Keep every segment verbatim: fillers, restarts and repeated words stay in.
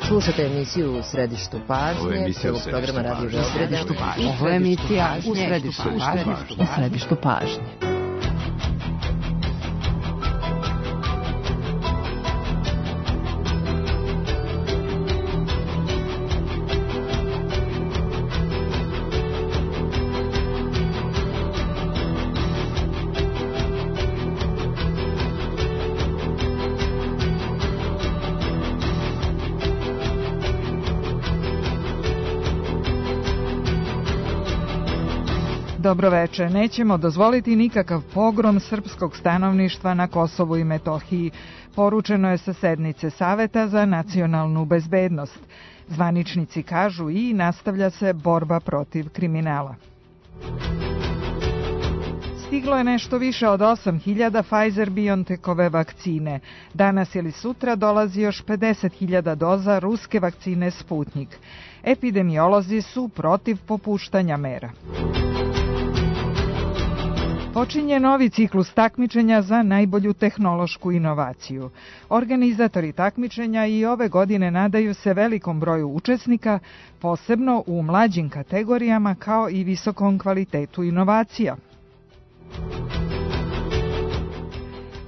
Slušate emisiju u Središtu pažnje, prvog programa Radio Beograda. Ovo je emisija u Središtu pažnje. U Središtu pažnje. Dobroveče, nećemo dozvoliti nikakav pogrom srpskog stanovništva na Kosovu i Metohiji, poručeno je sa sednice Saveta za nacionalnu bezbednost. Zvaničnici kažu i nastavlja se borba protiv kriminala. Stiglo je nešto više od osam hiljada Pfizer-BioNTechove vakcine. Danas ili sutra dolazi još pedeset hiljada doza ruske vakcine Sputnik. Epidemiolozi su protiv popuštanja mera. Počinje novi ciklus takmičenja za najbolju tehnološku inovaciju. Organizatori takmičenja i ove godine nadaju se velikom broju učesnika, posebno u mlađim kategorijama kao i visokom kvalitetu inovacija.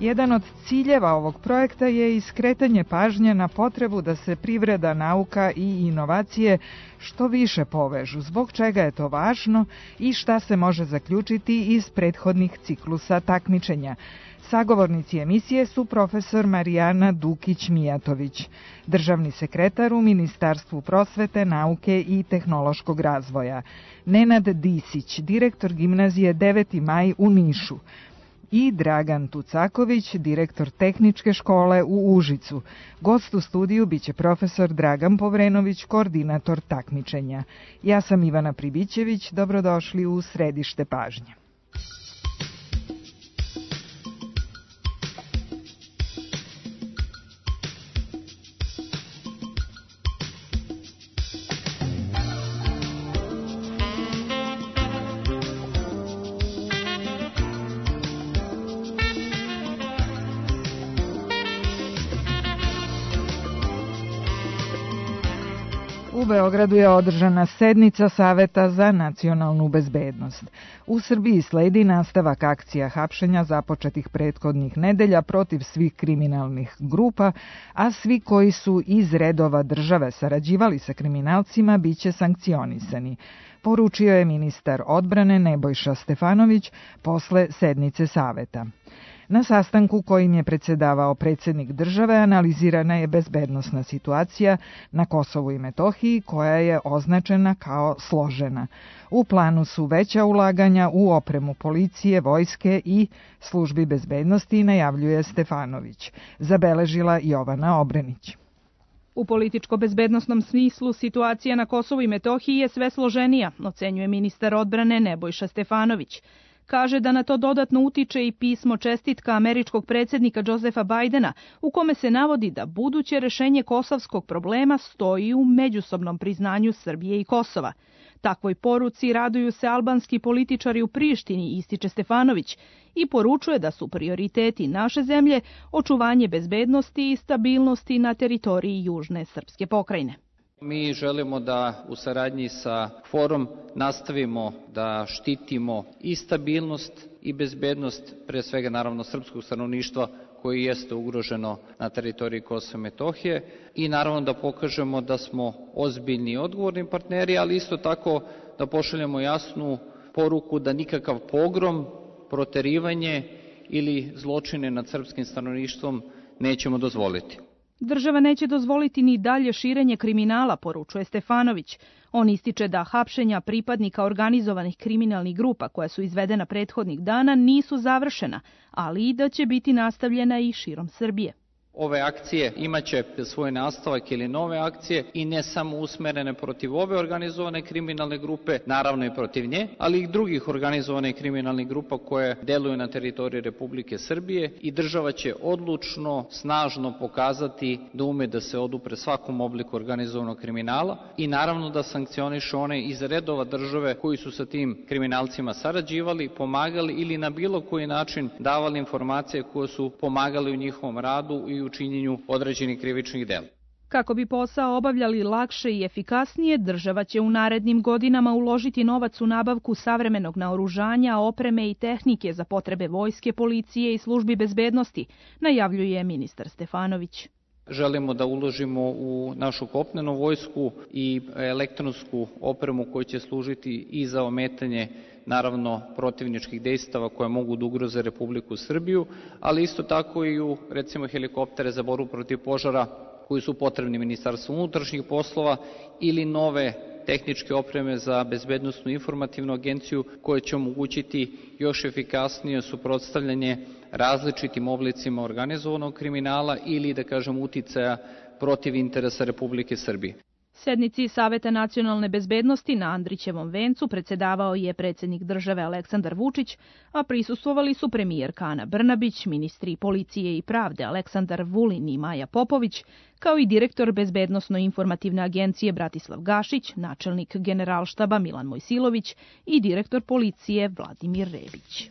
Jedan od ciljeva ovog projekta je i skretanje pažnje na potrebu da se privreda, nauka i inovacije što više povežu, zbog čega je to važno i šta se može zaključiti iz prethodnih ciklusa takmičenja. Sagovornici emisije su profesor Marijana Dukić-Mijatović, državni sekretar u Ministarstvu prosvete, nauke i tehnološkog razvoja, Nenad Disić, direktor gimnazije deveti maj u Nišu, i Dragan Tucaković, direktor tehničke škole u Užicu. Gost u studiju biće profesor Dragan Povrenović, koordinator takmičenja. Ja sam Ivana Pribićević, dobrodošli u Središte pažnje. U Beogradu je održana sednica Saveta za nacionalnu bezbednost. U Srbiji sledi nastavak akcija hapšenja započetih prethodnih nedelja protiv svih kriminalnih grupa, a svi koji su iz redova države sarađivali sa kriminalcima biće sankcionisani, poručio je ministar odbrane Nebojša Stefanović posle sednice Saveta. Na sastanku kojim je predsedavao predsjednik države analizirana je bezbednosna situacija na Kosovu i Metohiji koja je označena kao složena. U planu su veća ulaganja u opremu policije, vojske i službi bezbednosti, najavljuje Stefanović. Zabeležila Jovana Obrenić. U političko-bezbednosnom smislu situacija na Kosovu i Metohiji je sve složenija, ocenjuje ministar odbrane Nebojša Stefanović. Kaže da na to dodatno utiče i pismo čestitka američkog predsjednika Josefa Bajdena, u kome se navodi da buduće rešenje kosovskog problema stoji u međusobnom priznanju Srbije i Kosova. Takvoj poruci raduju se albanski političari u Prištini, ističe Stefanović, i poručuje da su prioriteti naše zemlje očuvanje bezbednosti i stabilnosti na teritoriji južne srpske pokrajine. Mi želimo da u saradnji sa Forum nastavimo da štitimo i stabilnost i bezbednost, pre svega naravno srpskog stanovništva koji jeste ugroženo na teritoriji Kosova i Metohije, i naravno da pokažemo da smo ozbiljni i odgovorni partneri, ali isto tako da pošaljemo jasnu poruku da nikakav pogrom, proterivanje ili zločine nad srpskim stanovništvom nećemo dozvoliti. Država neće dozvoliti ni dalje širenje kriminala, poručuje Stefanović. On ističe da hapšenja pripadnika organizovanih kriminalnih grupa koja su izvedena prethodnih dana nisu završena, ali i da će biti nastavljena i širom Srbije. Ove akcije imaće svoj nastavak ili nove akcije i ne samo usmerene protiv ove organizovane kriminalne grupe, naravno i protiv nje, ali i drugih organizovanih kriminalnih grupa koje deluju na teritoriji Republike Srbije, i država će odlučno, snažno pokazati da ume da se odupre svakom obliku organizovanog kriminala i naravno da sankcioniše one iz redova države koji su sa tim kriminalcima sarađivali, pomagali ili na bilo koji način davali informacije koje su pomagali u njihovom radu i u činjenju određenih krivičnih dela. Kako bi posao obavljali lakše i efikasnije, država će u narednim godinama uložiti novac u nabavku savremenog naoružanja, opreme i tehnike za potrebe vojske, policije i službi bezbednosti, najavljuje ministar Stefanović. Želimo da uložimo u našu kopnenu vojsku i elektronsku opremu koja će služiti i za ometanje naravno protivničkih dejstava koje mogu da ugroze Republiku Srbiju, ali isto tako i u recimo helikoptere za borbu protiv požara koji su potrebni Ministarstvu unutrašnjih poslova ili nove tehničke opreme za bezbednosnu informativnu agenciju koja će omogućiti još efikasnije suprotstavljanje različitim oblicima organizovanog kriminala ili, da kažem, uticaja protiv interesa Republike Srbije. Sednici Saveta nacionalne bezbednosti na Andrićevom vencu predsedavao je predsjednik države Aleksandar Vučić, a prisustvovali su premijerka Ana Brnabić, ministri policije i pravde Aleksandar Vulin i Maja Popović, kao i direktor Bezbednosno-informativne agencije Bratislav Gašić, načelnik Generalštaba Milan Mojsilović i direktor policije Vladimir Rebić.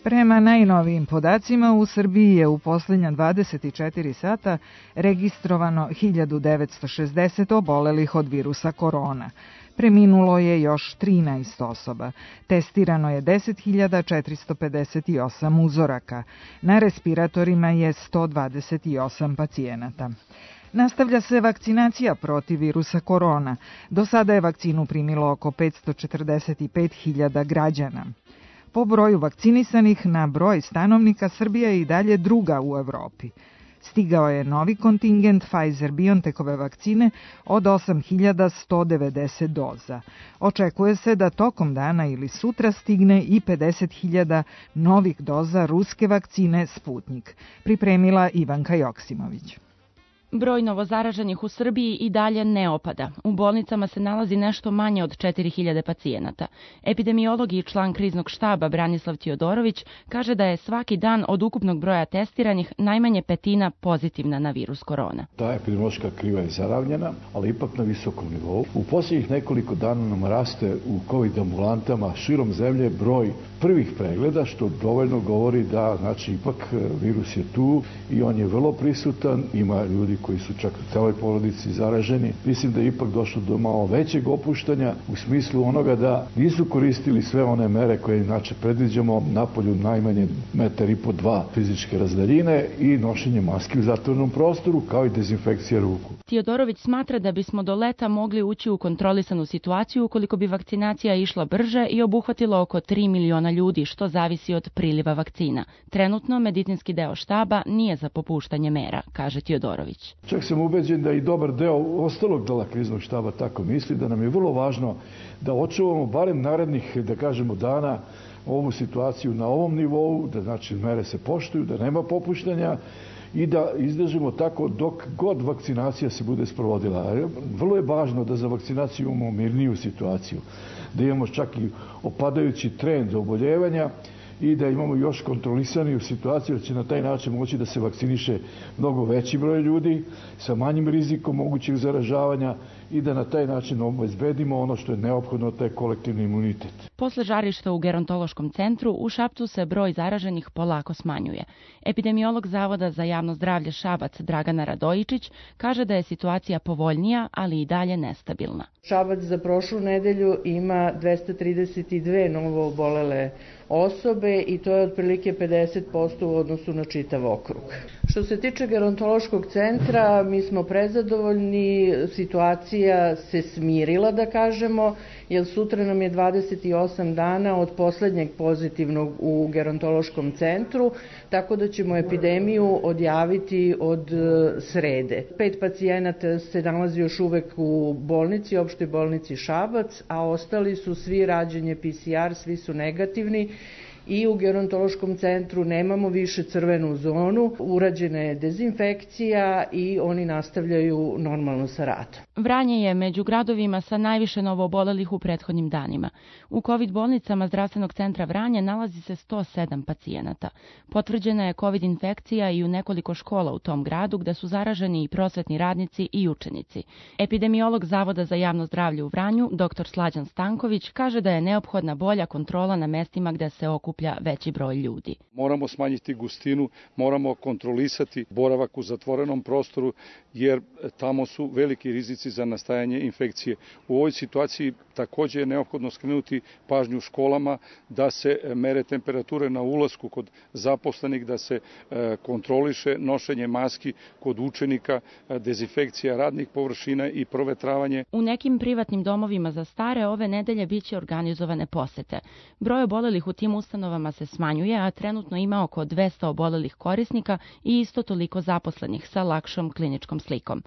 Prema najnovijim podacima, u Srbiji je u posljednja dvadeset četiri sata registrovano hiljadu devetsto šezdeset obolelih od virusa korona. Preminulo je još trinaest osoba. Testirano je deset hiljada četiristo pedeset osam uzoraka. Na respiratorima je sto dvadeset osam pacijenata. Nastavlja se vakcinacija protiv virusa korona. Do sada je vakcinu primilo oko petsto četrdeset pet hiljada građana. Po broju vakcinisanih na broj stanovnika, Srbija je i dalje druga u Evropi. Stigao je novi kontingent Pfizer-BioNTechove vakcine od osam hiljada sto devedeset doza. Očekuje se da tokom dana ili sutra stigne i pedeset hiljada novih doza ruske vakcine Sputnik, pripremila Ivanka Joksimović. Broj novozaraženih u Srbiji i dalje ne opada. U bolnicama se nalazi nešto manje od četiri hiljade pacijenata. Epidemiolog i član kriznog štaba Branislav Tiodorović kaže da je svaki dan od ukupnog broja testiranih najmanje petina pozitivna na virus korona. Ta epidemiološka kriva je zaravnjena, ali ipak na visokom nivou. U posljednjih nekoliko dana nam raste u COVID ambulantama širom zemlje broj prvih pregleda, što dovoljno govori da znači ipak virus je tu i on je vrlo prisutan, ima ljudi koji su čak u celoj porodici zaraženi. Mislim da je ipak došlo do malo većeg opuštanja u smislu onoga da nisu koristili sve one mere koje inače predviđamo, napolju najmanje metar i po dva fizičke razdaljine i nošenje maski u zatvorenom prostoru, kao i dezinfekcija ruku. Tiodorović smatra da bismo do leta mogli ući u kontrolisanu situaciju ukoliko bi vakcinacija išla brže i obuhvatila oko tri miliona ljudi, što zavisi od priliva vakcina. Trenutno medicinski deo štaba nije za popuštanje mera, kaže Tiodorović. Čak sam ubeđen da i dobar deo ostalog dela kriznog štaba tako misli, da nam je vrlo važno da očuvamo barem narednih, da kažemo, dana ovu situaciju na ovom nivou, da znači mere se poštuju, da nema popuštanja i da izdržimo tako dok god vakcinacija se bude sprovodila. Vrlo je važno da za vakcinaciju imamo mirniju situaciju, da imamo čak i opadajući trend oboljevanja i da imamo još kontrolisaniju situaciju, da će na taj način moći da se vakciniše mnogo veći broj ljudi sa manjim rizikom mogućeg zaražavanja i da na taj način obezbedimo ono što je neophodno, taj kolektivni imunitet. Posle žarišta u gerontološkom centru, u Šapcu se broj zaraženih polako smanjuje. Epidemiolog Zavoda za javno zdravlje Šabac Dragana Radojičić kaže da je situacija povoljnija, ali i dalje nestabilna. Šabac za prošlu nedelju ima dvesta trideset dve novo obolele osobe i to je otprilike pedeset posto u odnosu na čitav okrug. Što se tiče gerontološkog centra, mi smo prezadovoljni, situacija se smirila, da kažemo, jer sutra nam je dvadeset osam dana od poslednjeg pozitivnog u gerontološkom centru, tako da ćemo epidemiju odjaviti od srede. Pet pacijenata se nalazi još uvek u bolnici, opštoj bolnici Šabac, a ostali su svi rađenje P C R, svi su negativni i u gerontološkom centru nemamo više crvenu zonu, urađena je dezinfekcija i oni nastavljaju normalno sa radom. Vranje je među gradovima sa najviše novoobolelih u prethodnim danima. U COVID bolnicama Zdravstvenog centra Vranje nalazi se sto sedam pacijenata. Potvrđena je COVID infekcija i u nekoliko škola u tom gradu gde su zaraženi i prosvetni radnici i učenici. Epidemiolog Zavoda za javno zdravlje u Vranju, dr Slađan Stanković, kaže da je neophodna bolja kontrola na mestima gde se okuplja veći broj ljudi. Moramo smanjiti gustinu, moramo kontrolisati boravak u zatvorenom prostoru, jer tamo su veliki rizici za nastajanje infekcije. U ovoj situaciji takođe je neophodno skrenuti pažnju školama da se mere temperature na ulasku kod zaposlenih, da se kontroliše nošenje maski kod učenika, dezinfekcija radnih površina i provetravanje. U nekim privatnim domovima za stare ove nedelje biće organizovane posete. Broj obolelih u tim ustanovama se smanjuje, a trenutno ima oko dvesta obolelih korisnika i isto toliko zaposlenih sa lakšom kliničkom slikom.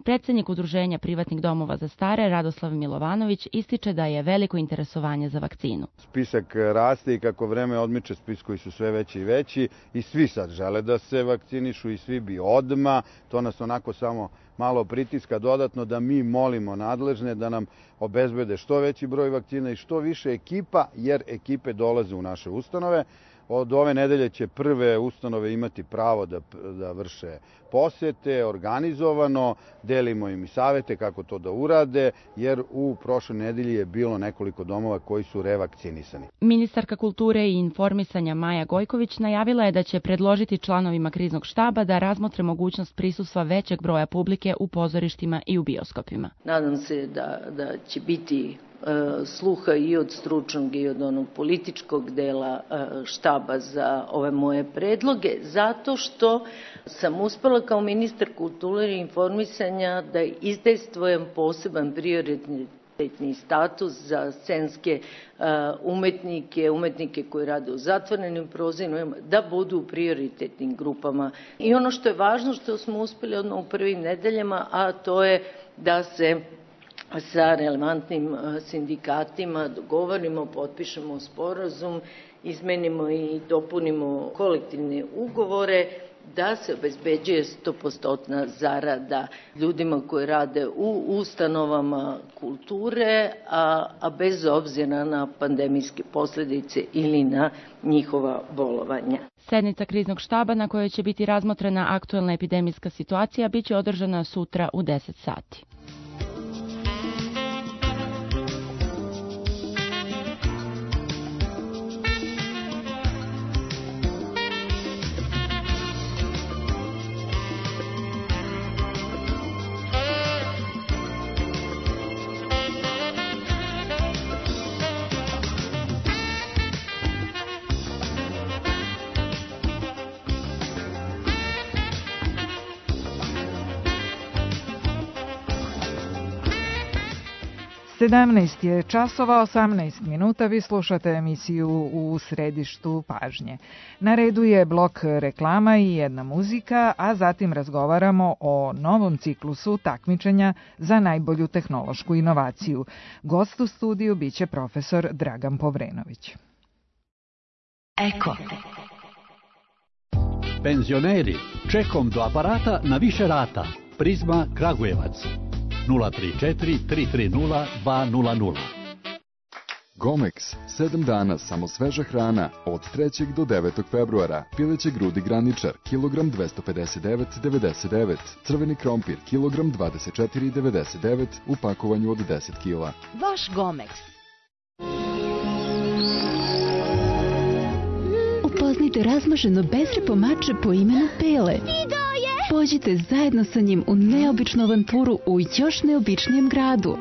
Predsednik Udruženja privatnih domova za stare, Radoslav Milovanović, ističe da je veliko interesovanje za vakcinu. Spisak raste i kako vreme odmiče, spiskovi su sve veći i veći i svi sad žele da se vakcinišu i svi bi odma. To nas onako samo malo pritiska dodatno da mi molimo nadležne da nam obezbede što veći broj vakcina i što više ekipa, jer ekipe dolaze u naše ustanove. Od ove nedelje će prve ustanove imati pravo da, da vrše posete, organizovano, delimo im i savete kako to da urade, jer u prošloj nedelji je bilo nekoliko domova koji su revakcinisani. Ministarka kulture i informisanja Maja Gojković najavila je da će predložiti članovima kriznog štaba da razmotre mogućnost prisustva većeg broja publike u pozorištima i u bioskopima. Nadam se da, da će biti sluha i od stručnog i od onog političkog dela štaba za ove moje predloge, zato što sam uspela kao ministar kulture i informisanja da izdejstvujem poseban prioritetni status za scenske umetnike, umetnike koji rade u zatvorenim prozorima, da budu u prioritetnim grupama. I ono što je važno, što smo uspeli odmah u prvim nedeljama, a to je da se sa relevantnim sindikatima dogovorimo, potpišemo sporazum, izmenimo i dopunimo kolektivne ugovore, da se obezbeđuje sto posto zarada ljudima koji rade u ustanovama kulture, a, a bez obzira na pandemijske posledice ili na njihova bolovanja. Sednica kriznog štaba na kojoj će biti razmotrena aktuelna epidemijska situacija biće održana sutra u deset sati. sedamnaest je časova, osamnaest minuta, vi slušate emisiju U središtu pažnje. Na redu je blok reklama i jedna muzika, a zatim razgovaramo o novom ciklusu takmičenja za najbolju tehnološku inovaciju. Gost u studiju biće profesor Dragan Povrenović. Eko. Penzioneri, čekom do aparata na više rata. Prizma Kragujevac. nula tri četiri tri tri nula dva nula nula. Gomex, sedam dana samo sveža hrana od trećeg do devetog februara. Pileće grudi graničar, kilogram dvesta pedeset devet zarez devedeset devet. Crveni krompir, kilogram dvadeset četiri zarez devedeset devet u pakovanju od deset kila. Vaš Gomex. Upoznajte razmaženo bezrepo mače po imenu Pele. Pođite zajedno sa njim u neobičnu avanturu u još neobičnijem gradu.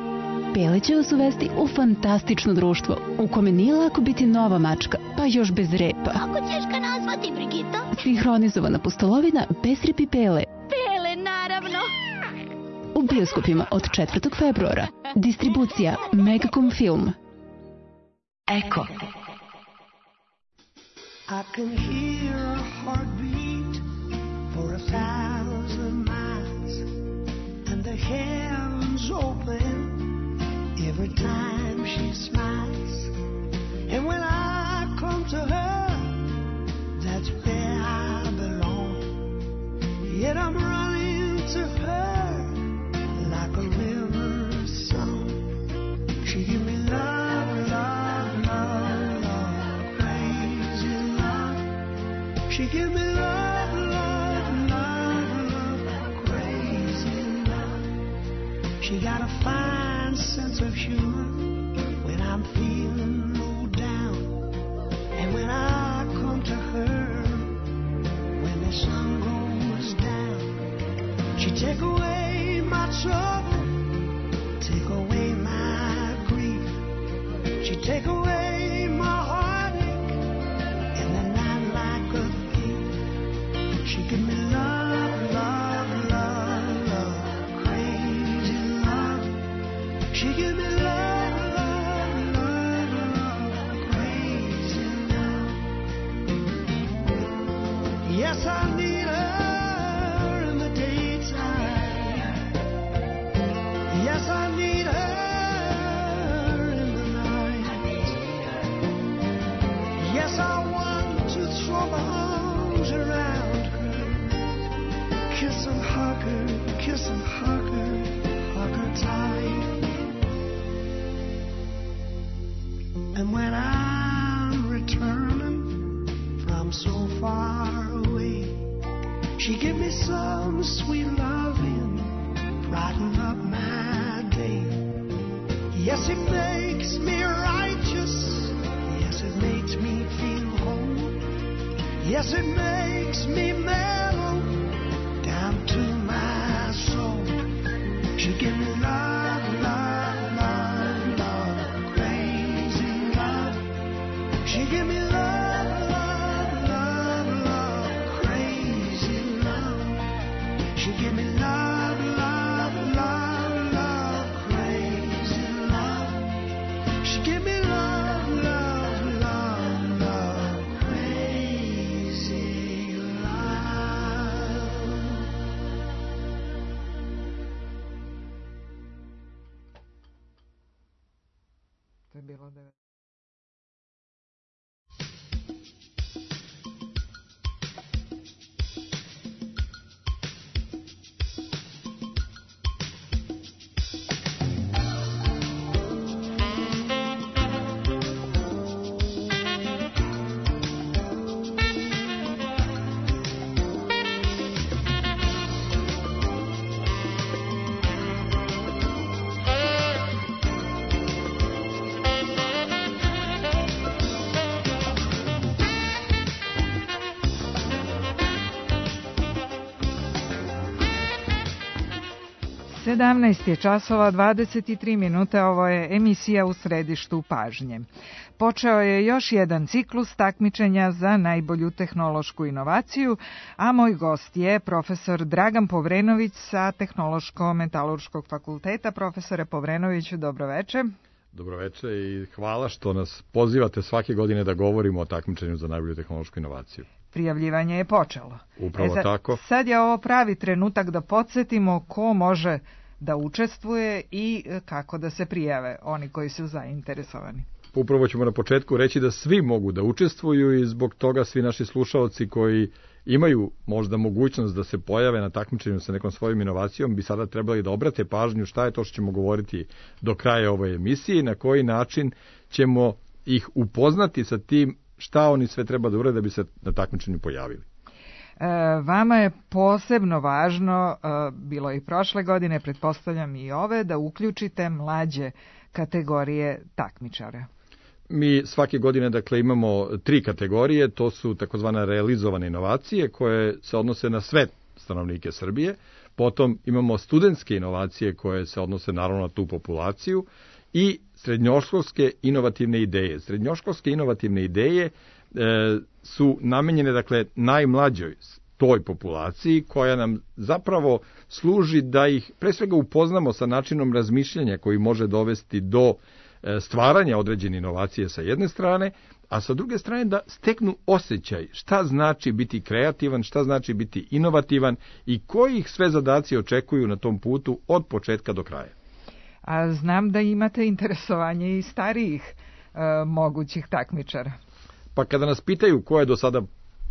Pele će vas uvesti u fantastično društvo, u kome nije lako biti nova mačka, pa još bez repa. Kako ćeš ga nazvati, Brigito? Sinhronizovana pustolovina bez repi Pele. Pele, naravno! U bioskopima od četvrtog februara. Distribucija Megacom Film. Eko. I can hear a heartbeat for a thousand miles, and the heavens open every time she smiles. And when I come to her Yet I'm running to her like a river song. She give me love, love, love, love, crazy love. She give me love, love, love, love, crazy love. She got a fine sense of humor when I'm feeling low down, and when I come to her when the sun goes down. She take away my trouble, take away my grief. She take away my heartache in the night like a thief. She give me love, love, love, love, crazy love. She give me love, love, love, love, crazy love. Yes, I need her in the daytime. Yes, I need her in the night. Yes, I want to throw my arms around her, kiss and hug her, kiss and hug her, hug her tight. And when I'm returning from so far away, she give me some sweet loving, brighten up my day. Yes, it makes me righteous. Yes, it makes me feel whole. Yes, it makes me mellow down to my soul. She give me love, love, love, love, crazy love. She give me love, love, love, love, crazy love. She give me love, love, love, love, crazy love. She give me love, love, love, love, crazy love. To je bilo devet. sedamnaest je časova dvadeset tri minute, ovo je emisija U središtu pažnje. Počeo je još jedan ciklus takmičenja za najbolju tehnološku inovaciju, a moj gost je profesor Dragan Povrenović sa Tehnološko-metalurškog fakulteta. Profesore Povrenoviću, dobroveče. Dobroveče i hvala što nas pozivate svake godine da govorimo o takmičenju za najbolju tehnološku inovaciju. Prijavljivanje je počelo. Upravo e sad, tako. Sad je ovo pravi trenutak da podsjetimo ko može da učestvuje i kako da se prijave oni koji su zainteresovani. Upravo ćemo na početku reći da svi mogu da učestvuju i zbog toga svi naši slušaoci koji imaju možda mogućnost da se pojave na takmičenju sa nekom svojom inovacijom bi sada trebali da obrate pažnju šta je to što ćemo govoriti do kraja ove emisije i na koji način ćemo ih upoznati sa tim šta oni sve treba da urade da bi se na takmičenju pojavili. E, vama je posebno važno, e, bilo i prošle godine, pretpostavljam i ove, da uključite mlađe kategorije takmičara. Mi svake godine dakle imamo tri kategorije, to su takozvane realizovane inovacije koje se odnose na sve stanovnike Srbije, potom imamo studentske inovacije koje se odnose naravno na tu populaciju i srednjoškolske inovativne ideje. Srednjoškolske inovativne ideje e, su namenjene dakle najmlađoj toj populaciji koja nam zapravo služi da ih pre svega upoznamo sa načinom razmišljanja koji može dovesti do stvaranja određene inovacije sa jedne strane, a sa druge strane da steknu osjećaj šta znači biti kreativan, šta znači biti inovativan i koji ih sve zadaci očekuju na tom putu od početka do kraja. A znam da imate interesovanje i starijih e, mogućih takmičara. Pa kada nas pitaju ko je do sada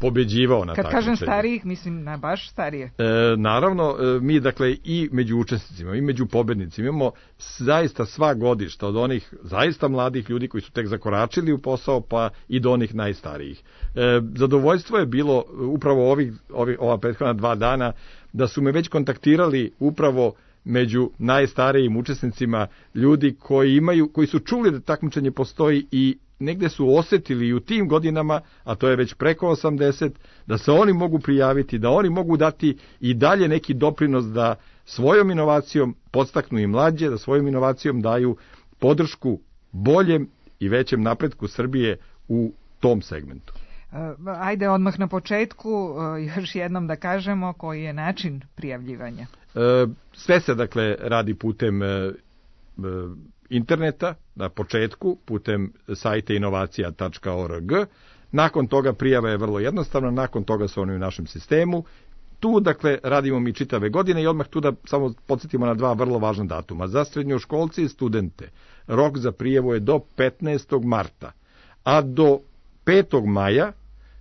pobeđivao na Kad takmičenju. kažem starijih, mislim na baš starije. E, naravno, mi dakle i među učesnicima i među pobednicima imamo zaista sva godišta od onih zaista mladih ljudi koji su tek zakoračili u posao pa i do onih najstarijih. E, zadovoljstvo je bilo upravo ovih, ovih, ova prethodna dva dana da su me već kontaktirali upravo među najstarijim učesnicima ljudi koji imaju, koji su čuli da takmičenje postoji i negde su osetili i u tim godinama, a to je već preko osamdeset, da se oni mogu prijaviti, da oni mogu dati i dalje neki doprinos da svojom inovacijom podstaknu i mlađe, da svojom inovacijom daju podršku boljem i većem napretku Srbije u tom segmentu. Ajde odmah na početku još jednom da kažemo koji je način prijavljivanja. Sve se dakle radi putem interneta, na početku putem sajta inovacija tačka org. Nakon toga prijava je vrlo jednostavna, nakon toga su oni u našem sistemu. Tu dakle radimo mi čitave godine i odmah tu da samo podsjetimo na dva vrlo važna datuma. Za srednjoškolce i studente rok za prijavu je do petnaestog marta, a do petog maja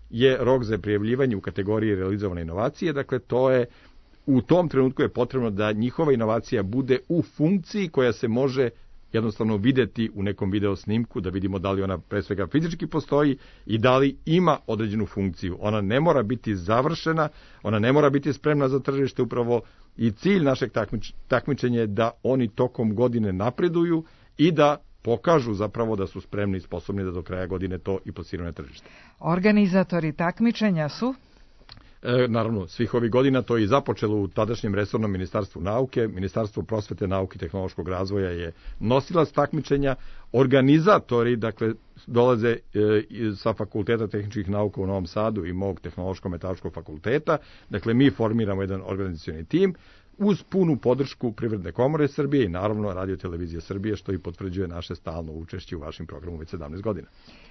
je rok za prijavljivanje u kategoriji realizovane inovacije. Dakle, to je u tom trenutku je potrebno da njihova inovacija bude u funkciji koja se može jednostavno videti u nekom video snimku, da vidimo da li ona pre svega fizički postoji i da li ima određenu funkciju. Ona ne mora biti završena, ona ne mora biti spremna za tržište, upravo i cilj našeg takmič, takmičenja je da oni tokom godine napreduju i da pokažu zapravo da su spremni i sposobni da do kraja godine to i plasiraju na tržište. Organizatori takmičenja su? E, naravno, svih ovih godina to je i započelo u tadašnjem resornom ministarstvu nauke. Ministarstvo prosvete, nauke i tehnološkog razvoja je nosilac takmičenja. Organizatori, dakle, dolaze e, sa Fakulteta tehničkih nauka u Novom Sadu i mog tehnološko-metaloškog fakulteta. Dakle, mi formiramo jedan organizacioni tim uz punu podršku Privredne komore Srbije i naravno Radio televizije Srbije, što i potvrđuje naše stalno učešće u vašem programu već sedamnaest godina.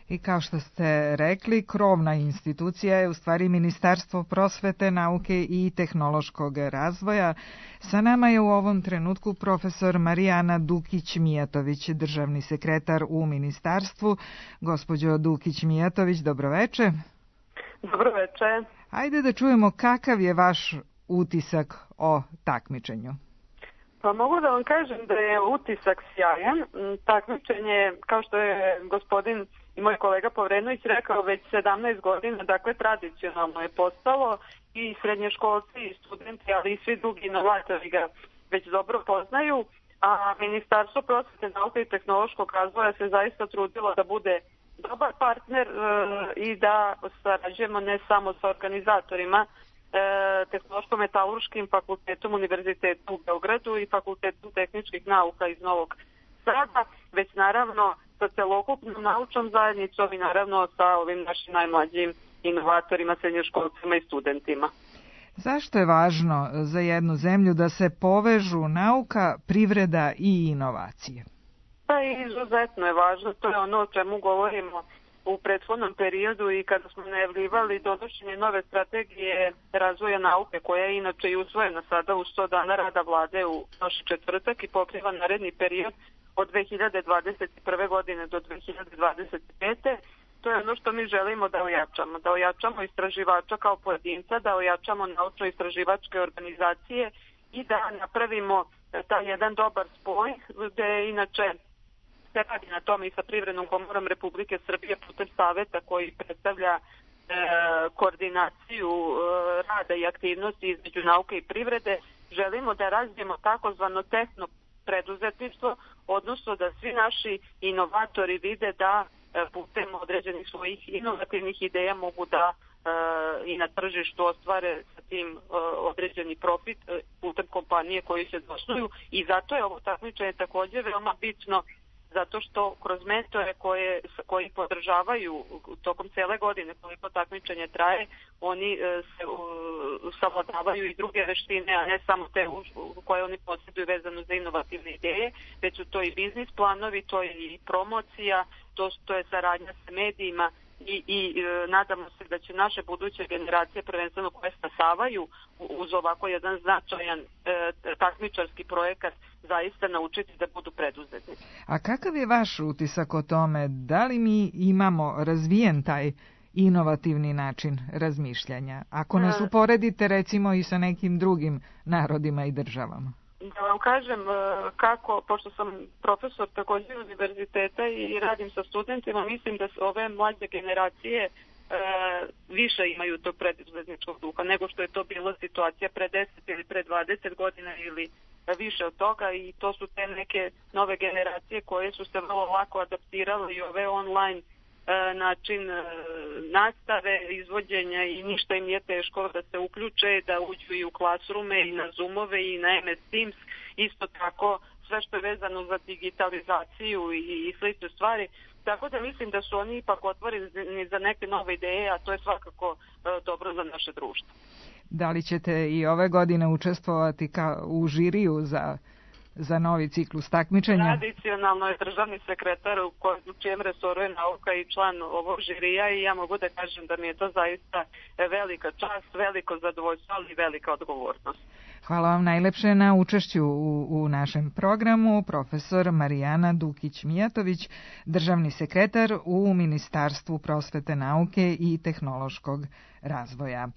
I kao što ste rekli, krovna institucija je u stvari Ministarstvo prosvete, nauke i tehnološkog razvoja. Sa nama je u ovom trenutku profesor Marijana Dukić-Mijatović, državni sekretar u ministarstvu. Gospođo Dukić-Mijatović, dobroveče. Dobroveče. Ajde da čujemo kakav je vaš utisak o takmičenju. Pa mogu da vam kažem da je utisak sjajan. Takmičenje, kao što je gospodin i moj kolega Povrenović rekao, već sedamnaest godina, dakle tradicionalno je postalo i srednjoškolci i studenti, ali i svi drugi inovatori ga već dobro poznaju, a Ministarstvo prosvete, nauke i tehnološkog razvoja se zaista trudilo da bude dobar partner e, i da sarađujemo ne samo sa organizatorima, Tehnološko-metalurškim fakultetom Univerziteta u Beogradu i Fakultetom tehničkih nauka iz Novog Sada, već naravno sa celokupnom naučnom zajednicom i naravno sa ovim našim najmlađim inovatorima, srednjoškolcima i studentima. Zašto je važno za jednu zemlju da se povežu nauka, privreda i inovacije? Pa izuzetno je važno, to je ono o čemu govorimo u prethodnom periodu i kada smo najavljivali donošenje nove strategije razvoja nauke, koja je inače i usvojena sada u sto dana rada vlade u prošli četvrtak i pokriva naredni period od dve hiljade dvadeset prve. godine do dve hiljade dvadeset pete. To je ono što mi želimo da ojačamo, da ojačamo istraživača kao pojedinca, da ojačamo naučno-istraživačke organizacije i da napravimo taj jedan dobar spoj, gde inače se radi na tome i sa Privrednom komorom Republike Srbije putem saveta koji predstavlja e, koordinaciju e, rada i aktivnosti između nauke i privrede. Želimo da razvijemo takozvano tehno preduzetništvo, odnosno da svi naši inovatori vide da e, putem određenih svojih inovativnih ideja mogu da e, i na tržištu ostvare sa tim e, određeni profit e, putem kompanije koji se osnuju, i zato je ovo takmičenje također veoma bitno, zato što kroz mentore koje, koji podržavaju tokom cele godine koliko takmičenje traje, oni e, se uh, savladavaju i druge veštine, a ne samo te uh, koje oni posjeduju vezano za inovativne ideje, već su to i biznis planovi, to je i promocija, to, to je saradnja sa medijima i, i e, nadamo se da će naše buduće generacije, prvenstveno koje stasavaju uz ovako jedan značajan e, takmičarski projekat, zaista naučiti da budu preduzetnici. A kakav je vaš utisak o tome? Da li mi imamo razvijen taj inovativni način razmišljanja. Ako nas uporedite recimo i sa nekim drugim narodima i državama. Da vam kažem kako, pošto sam profesor također univerziteta i radim sa studentima, mislim da ove mlađe generacije više imaju tog preduzetničkog duha nego što je to bila situacija pre deset ili pre dvadeset godina ili više od toga, i to su te neke nove generacije koje su se vrlo lako adaptirale i ove online način nastave, izvođenja, i ništa im nije teško da se uključe, da uđu i u Classroome i na Zoomove i na M S Teams, isto tako sve što je vezano za digitalizaciju i, i slične stvari. Tako da mislim da su oni ipak otvoreni za neke nove ideje, a to je svakako dobro za naše društvo. Da li ćete i ove godine učestvovati ka, u žiriju za, za novi ciklus takmičenja? Tradicionalno je državni sekretar u, koj, u čijem resoru je nauka i član ovog žirija, i ja mogu da kažem da mi je to zaista velika čast, veliko zadovoljstvo, ali i velika odgovornost. Hvala vam najlepše na učešću u, u našem programu, profesor Marijana Dukić-Mijatović, državni sekretar u Ministarstvu prosvete, nauke i tehnološkog razvoja.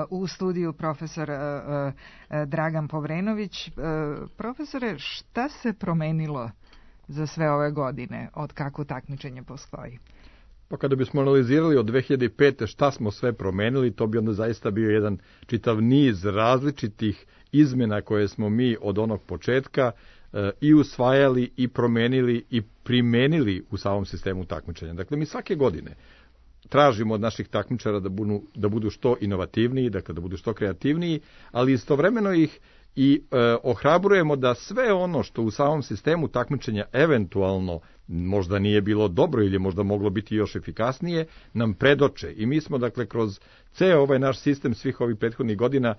U studiju profesor Dragan Povrenović. Profesore, šta se promenilo za sve ove godine od kako takmičenje postoji? Pa kada bismo analizirali od dve hiljade pete. šta smo sve promenili, to bi onda zaista bio jedan čitav niz različitih izmena koje smo mi od onog početka e, i usvajali i promenili i primenili u samom sistemu takmičenja. Dakle, mi svake godine tražimo od naših takmičara da budu, da budu što inovativniji, dakle da budu što kreativniji, ali istovremeno ih i e, ohrabrujemo da sve ono što u samom sistemu takmičenja eventualno možda nije bilo dobro ili možda moglo biti još efikasnije, nam predoče. I mi smo, dakle, kroz ceo ovaj naš sistem svih ovih prethodnih godina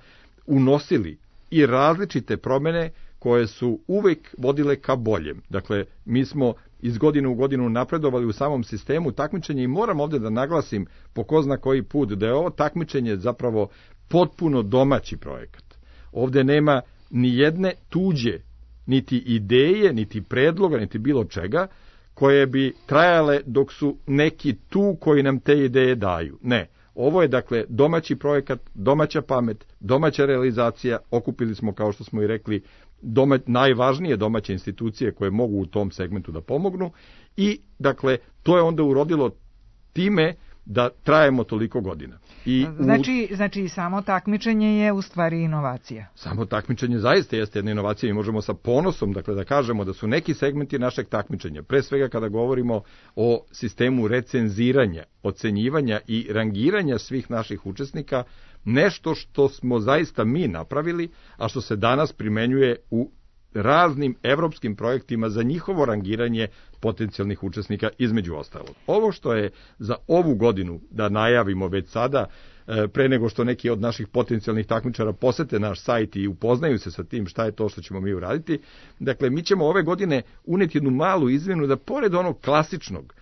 unosili i različite promene koje su uvek vodile ka boljem. Dakle, mi smo iz godine u godinu napredovali u samom sistemu takmičenja i moram ovdje da naglasim po ko zna koji put da je ovo takmičenje zapravo potpuno domaći projekat. Ovdje nema ni jedne tuđe, niti ideje, niti predloga, niti bilo čega, koje bi trajale dok su neki tu koji nam te ideje daju. Ne, ovo je dakle domaći projekat, domaća pamet, domaća realizacija, okupili smo, kao što smo i rekli, doma, najvažnije domaće institucije koje mogu u tom segmentu da pomognu, i dakle to je onda urodilo time da trajemo toliko godina. I znači, u... znači samo takmičenje je u stvari inovacija. Samo takmičenje zaista jeste jedna inovacija i možemo sa ponosom dakle, da kažemo da su neki segmenti našeg takmičenja, pre svega kada govorimo o sistemu recenziranja, ocenjivanja i rangiranja svih naših učesnika, nešto što smo zaista mi napravili, a što se danas primenjuje u raznim evropskim projektima za njihovo rangiranje potencijalnih učesnika, između ostalog. Ovo što je za ovu godinu, da najavimo već sada, pre nego što neki od naših potencijalnih takmičara posete naš sajt i upoznaju se sa tim šta je to što ćemo mi uraditi, dakle, mi ćemo ove godine uneti jednu malu izmjenu da pored onog klasičnog,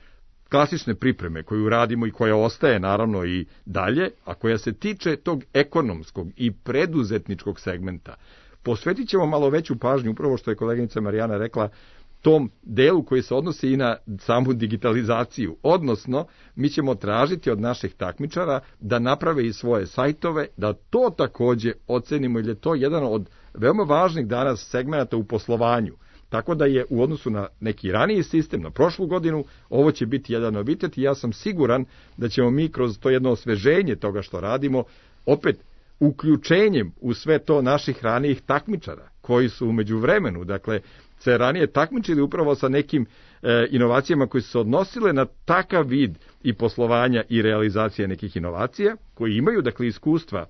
klasične pripreme koju radimo i koja ostaje naravno i dalje, a koja se tiče tog ekonomskog i preduzetničkog segmenta, posvetit ćemo malo veću pažnju, upravo što je koleginica Marijana rekla, tom delu koji se odnosi i na samu digitalizaciju. Odnosno, mi ćemo tražiti od naših takmičara da naprave i svoje sajtove, da to takođe ocenimo, jer je to jedan od veoma važnih danas segmenata u poslovanju. Tako da je u odnosu na neki raniji sistem, na prošlu godinu, ovo će biti jedan novitet i ja sam siguran da ćemo mi kroz to jedno osveženje toga što radimo, opet uključenjem u sve to naših ranijih takmičara, koji su u međuvremenu, dakle, se ranije takmičili upravo sa nekim e, inovacijama koje su se odnosile na takav vid i poslovanja i realizacije nekih inovacija, koji imaju, dakle, iskustva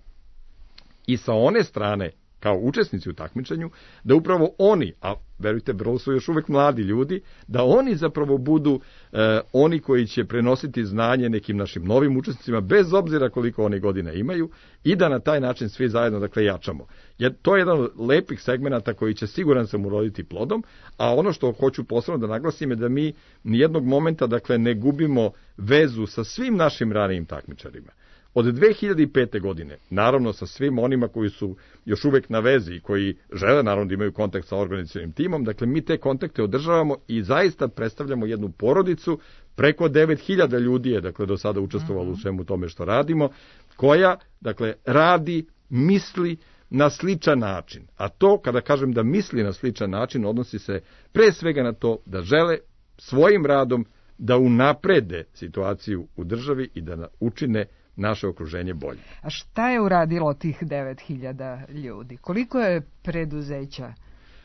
i sa one strane, kao učesnici u takmičenju, da upravo oni, a verujte, vrlo su još uvek mladi ljudi, da oni zapravo budu e, oni koji će prenositi znanje nekim našim novim učesnicima, bez obzira koliko oni godina imaju, i da na taj način svi zajedno, dakle, jačamo. Jer to je jedan od lepih segmenata koji će siguran sam uroditi plodom, a ono što hoću posebno da naglasim je da mi nijednog momenta, dakle, ne gubimo vezu sa svim našim ranijim takmičarima. Od dve hiljade pete. godine, naravno sa svim onima koji su još uvek na vezi i koji žele naravno da imaju kontakt sa organizacionim timom, dakle mi te kontakte održavamo i zaista predstavljamo jednu porodicu preko devet hiljada ljudi je dakle do sada učestvovalo u svemu tome što radimo, koja dakle radi, misli na sličan način. A to, kada kažem da misli na sličan način, odnosi se pre svega na to da žele svojim radom da unaprede situaciju u državi i da učine naše okruženje bolje. A šta je uradilo tih devet hiljada ljudi? Koliko je preduzeća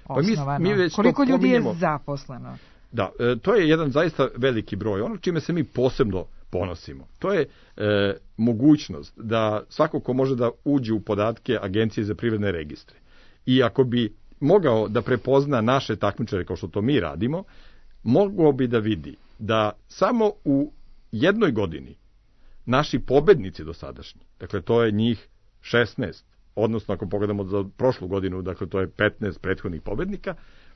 osnovano? Pa mi, mi već Koliko ljudi je zaposleno? Da, e, to je jedan zaista veliki broj. Ono čime se mi posebno ponosimo, to je e, mogućnost da svako ko može da uđe u podatke Agencije za privredne registre i ako bi mogao da prepozna naše takmičare kao što to mi radimo, mogao bi da vidi da samo u jednoj godini naši pobednici dosadašnji, dakle to je njih šesnaest, odnosno ako pogledamo za prošlu godinu, dakle to je petnaest prethodnih pobednika,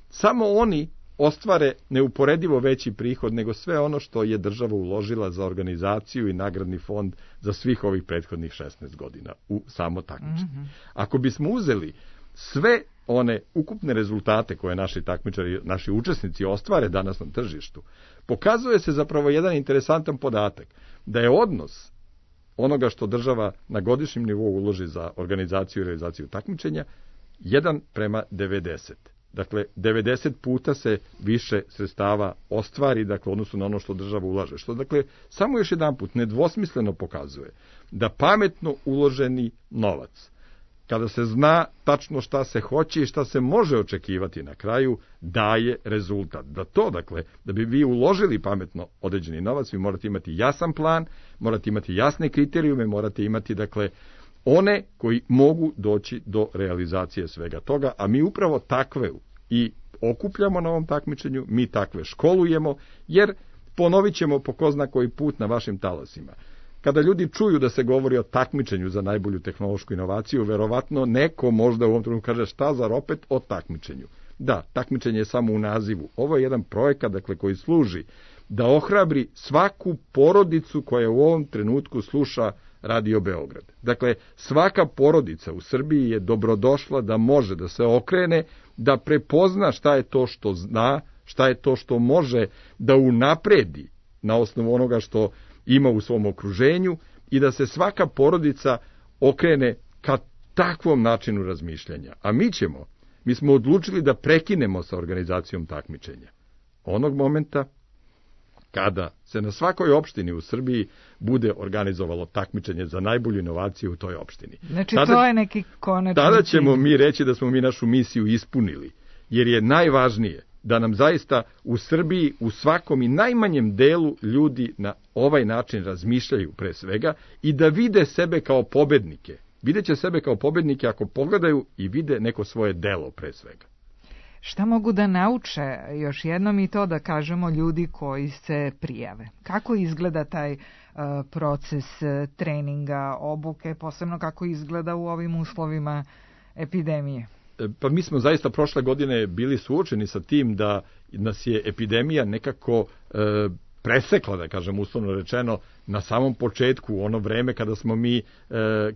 samo oni ostvare neuporedivo veći prihod nego sve ono što je država uložila za organizaciju i nagradni fond za svih ovih prethodnih šesnaest godina u samo takmičenje. Mm-hmm. Ako bismo uzeli sve one ukupne rezultate koje naši takmičari, naši učesnici ostvare danas na tržištu, pokazuje se zapravo jedan interesantan podatak, da je odnos onoga što država na godišnjem nivou uloži za organizaciju i realizaciju takmičenja jedan prema devedeset. Dakle, devedeset puta se više sredstava ostvari, dakle, odnosno na ono što država ulaže. Što, dakle, samo još jedan put nedvosmisleno pokazuje da pametno uloženi novac, kada se zna tačno šta se hoće i šta se može očekivati na kraju, daje rezultat. Da to, dakle, da bi vi uložili pametno određeni novac, vi morate imati jasan plan, morate imati jasne kriterijume, morate imati, dakle, one koji mogu doći do realizacije svega toga, a mi upravo takve i okupljamo na ovom takmičenju, mi takve školujemo, jer ponovit ćemo po ko zna koji put na vašim talasima. Kada ljudi čuju da se govori o takmičenju za najbolju tehnološku inovaciju, verovatno neko možda u ovom trenutku kaže šta zar opet o takmičenju. Da, takmičenje je samo u nazivu. Ovo je jedan projekat, dakle, koji služi da ohrabri svaku porodicu koja u ovom trenutku sluša Radio Beograd. Dakle, svaka porodica u Srbiji je dobrodošla da može da se okrene, da prepozna šta je to što zna, šta je to što može da unapredi na osnovu onoga što ima u svom okruženju i da se svaka porodica okrene ka takvom načinu razmišljanja. A mi ćemo, mi smo odlučili da prekinemo sa organizacijom takmičenja. Onog momenta kada se na svakoj opštini u Srbiji bude organizovalo takmičenje za najbolju inovaciju u toj opštini. Znači tada, to je neki konačni. Tada ćemo mi reći da smo mi našu misiju ispunili, jer je najvažnije da nam zaista u Srbiji u svakom i najmanjem delu ljudi na ovaj način razmišljaju pre svega i da vide sebe kao pobednike. Videće sebe kao pobednike ako pogledaju i vide neko svoje delo pre svega. Šta mogu da nauče, još jednom i to da kažemo, ljudi koji se prijave? Kako izgleda taj uh, proces uh, treninga, obuke, posebno kako izgleda u ovim uslovima epidemije? Pa mi smo zaista prošle godine bili suočeni sa tim da nas je epidemija nekako e, presekla, da kažem uslovno rečeno, na samom početku, u ono vreme kada smo mi, e,